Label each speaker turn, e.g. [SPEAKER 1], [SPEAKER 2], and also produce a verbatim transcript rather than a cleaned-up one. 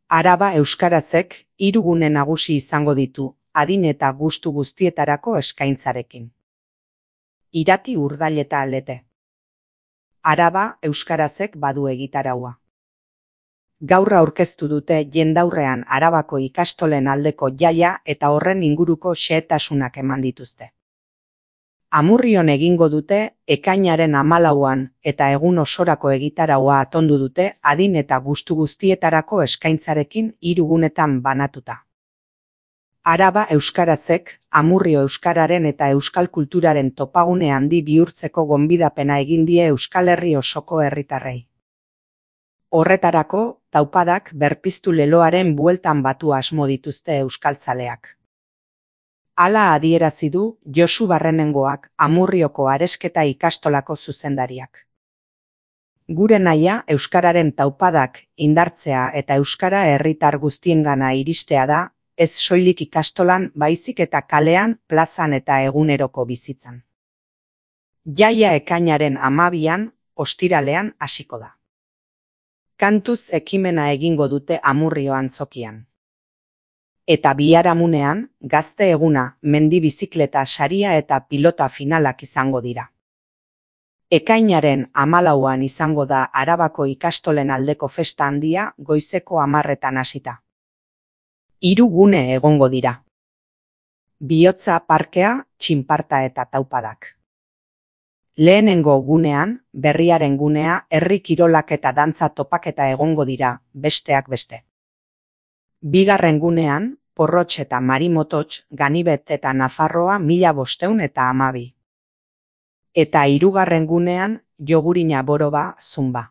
[SPEAKER 1] Araba euskarazek hiru gune nagusi izango ditu, adin eta gustu guztietarako eskaintzarekin. Irati, Urdail eta Lete. Araba euskarazek badu egitaraua. Gaur aurkeztu dute jendaurrean Arabako ikastolen aldeko jaia eta horren inguruko xehetasunak eman dituzte. Amurrion egingo dute ekainaren hamalauan eta egun osorako egitaraua atondu dute adin eta gustu guztietarako eskaintzarekin hiru gunetan banatuta. Araba euskarazek Amurrio euskararen eta euskal kulturaren topagune handi bihurtzeko gonbidapena egin die Euskal Herri osoko herritarrei. Horretarako, taupadak berpiztu leloaren bueltan batu asmo dituzte euskaltzaleak. Hala adierazi du Josu Barrenengoak, Amurrioko Aresketa ikastolako zuzendariak. Gure nahia euskararen taupadak indartzea eta euskara herritar guztiengana iristea da, ez soilik ikastolan baizik eta kalean, plazan eta eguneroko bizitzan. Jaia ekainaren hamabian, ostiralean hasiko da. Kantuz ekimena egingo dute Amurrio antzokian. Eta biharamunean, gazte eguna, mendi bizikleta saria eta pilota finalak izango dira. Ekainaren hamalauan izango da Arabako ikastolen aldeko festa handia goizeko hamarretan hasita. Hiru gune egongo dira. Bihotza parkea, txinparta eta taupadak. Lehenengo gunean, berriaren gunea, herri kirolak eta dantza topaketa egongo dira, besteak beste. Bigarren gunean, Porrotx eta Marimototx, Ganibet eta Nafarroa mila bosteun eta hamabi. Eta hirugarren gunean, Jogurina Boroba, Zumba.